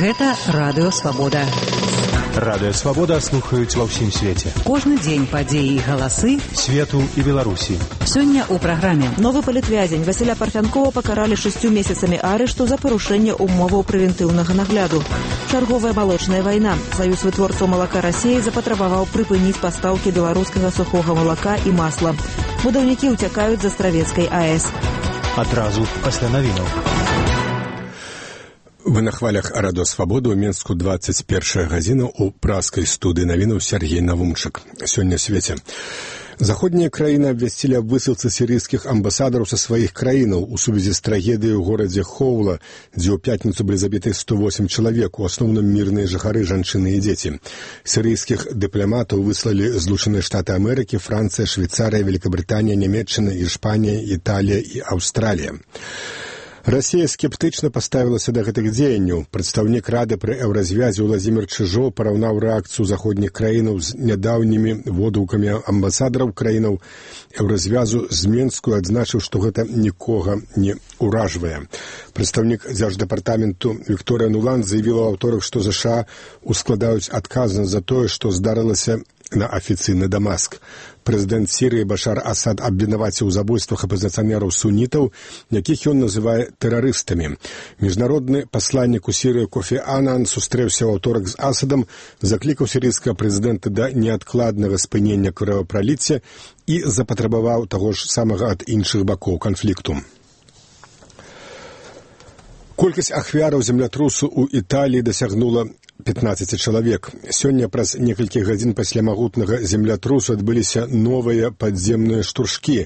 Гэта Радыё Свабода. Радыё Свабода слухаюць ва ўсім свеце. Кожны дзень падзеі і галасы свету і Беларусі. Сёння ў праграме. Новы палітвязень Васіля Парфянкова пакаралі 6 месяцамі арышту за парушэнне умоваў прэвентыўнага нагляду. Чарговая малочная вайна. Саюз вытворцаў малака Расіі запатрабаваў прыпыніць пастаўкі беларускага сухога малака і масла. Будаўнікі ўцякаюць з Астравецкай АЭС. Адразу пасля навінаў. Вы на хвалях Радыё Свабода ў Менску 21 гадзіна ў праскай студыі навінаў Сергей Навумчык. Сёння свеце. Заходнія краіны абвясцілі аб высылцы сірыйскіх амбасадараў са сваіх краінаў у сувязі з трагедыяй у горадзе Хоула, дзе ў пятніцу былі забіты 108 чалавек, у асноўным мірныя жыхары, жанчыны і дзеці. Сірыйскіх дыпламатаў выслалі Злучаныя Штаты Амерыкі, Францыя, Швейцарыя, Великабрытанія, Нямецчына, Іспанія, Італія і Аўстралія. Расія скептычна паставілася да гэтых дзеянняў. Прадстаўнік Рады пры еўразвязе Уладзімір Чыжоў параўнаў рэакцыю заходніх краінаў з нядаўнімі водгукамі амбасадараў краінаў еўразвязу з Менску і адзначыў, што гэта нікога не ўражвае. Прадстаўнік дзярждэпартаменту Вікторыя Нуланд заявіла ў аўторак, што ЗША ускладаюць адказнасць за тое, што здарылася на афіцыйны Дамаск. Прэзідэнт Сірыі Башар Асад абвінаваціў у забойствах апазіцыянераў сунітаў, якіх ён называе тэрарыстамі. Міжнародны пасланнік у Сірыі Кофі Анан сустрэўся ў аўторак з Асадам, заклікаў сірыйскага прэзідэнта да неадкладнага спынення крывапраліцця і запатрабаваў таго ж самага ад іншых бакоў канфлікту. Колькасць ахвяраў землятрусу ў Італіі дасягнула 15 чалавек. Сёння праз некалькі гадзін пасля магутнага землятрусу адбыліся новыя падземныя штуршкі.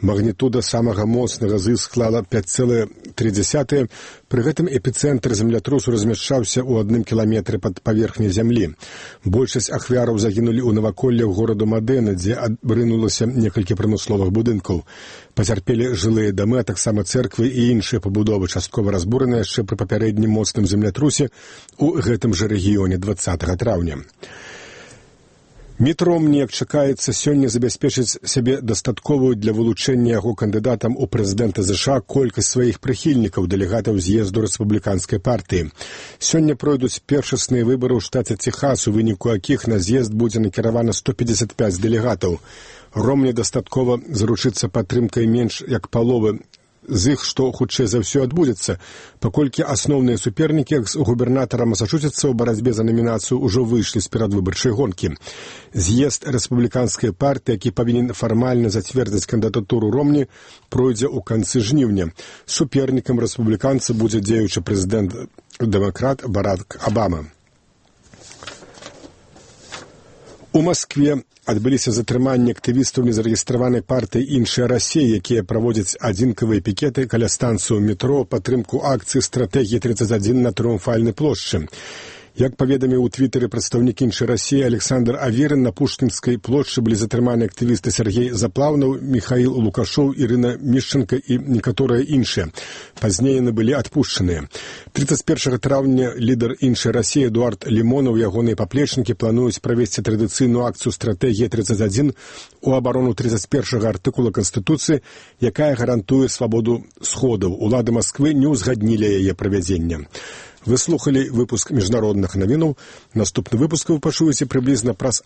Магнітуда самага моцнага з іх склала 5,3. Пры гэтым эпіцэнтр землятрусу размяшчаўся ў 1 кіламетры пад паверхняй зямлі. Большасць ахвяраў загінулі ў наваколлях гораду Мадэна, дзе абрынулася некалькі прамысловых будынкаў. Пацярпелі жылыя дамы, а таксама цэрквы і іншыя пабудовы, часткова разбураныя яшчэ пры папярэднім моцным землятрусе ў гэтым жа рэгіёне 20 траўня. Міт Ромні, як чакаецца, сёння забяспечыць сябе дастатковую для вылучэння яго кандыдатам у прэзідэнта ЗША колькасць сваіх прыхільнікаў, дэлегатаў з'езду рэспубліканскай партыі. Сёння пройдуць першасныя выбары ў штаце Техас, у выніку якіх на з'езд будзе накіравана 155 дэлегатаў. Ромні дастаткова заручыцца падтрымкай менш як паловы з іх, што хутчэй за ўсё адбудзецца, паколькі асноўныя супернікі з губернатара Масачусетса ў барацьбе за намінацыю ўжо выйшлі з перадвыбарчай гонкі. З'езд рэспубліканскай партыі, які павінен фармальна зацвердзіць кандыдатуру Ромні, пройдзе ў канцы жніўня. Супернікам рэспубліканца будзе дзеючы прэзідэнт-дэмакрат Барак Абама. У Маскве адбыліся затрыманні актывістаў незарэгістраванай партыі «Іншая Расія», якія праводзяць адзінкавыя пікеты каля станцыю метро ў падтрымку акцыі «Стратэгіі 31» на Трыумфальнай плошчы. Як паведаміў у твітары прадстаўнік «Іншай Расіі» Александр Аверин, на Пушкінскай плошчы былі затрыманы актывісты Сергей Заплаўнаў, Михаил Лукашоў, Ірына Мішченка і некаторыя іншыя. Пазней яны былі адпушчаныя. 31 траўня лідар «Іншай Расіі» Эдуард Лімонаў і ягоныя паплечнікі плануюць правесці традыцыйную акцыю «Стратэгія 31» у абарону 31 артыкула Канстытуцыі, якая гарантуе свабоду сходаў. Улады Масквы не ўзгаднілі яе правядзення. Вы слухали выпуск міжнародных навінаў. Наступны выпуск вы пачуеце прыблізна праз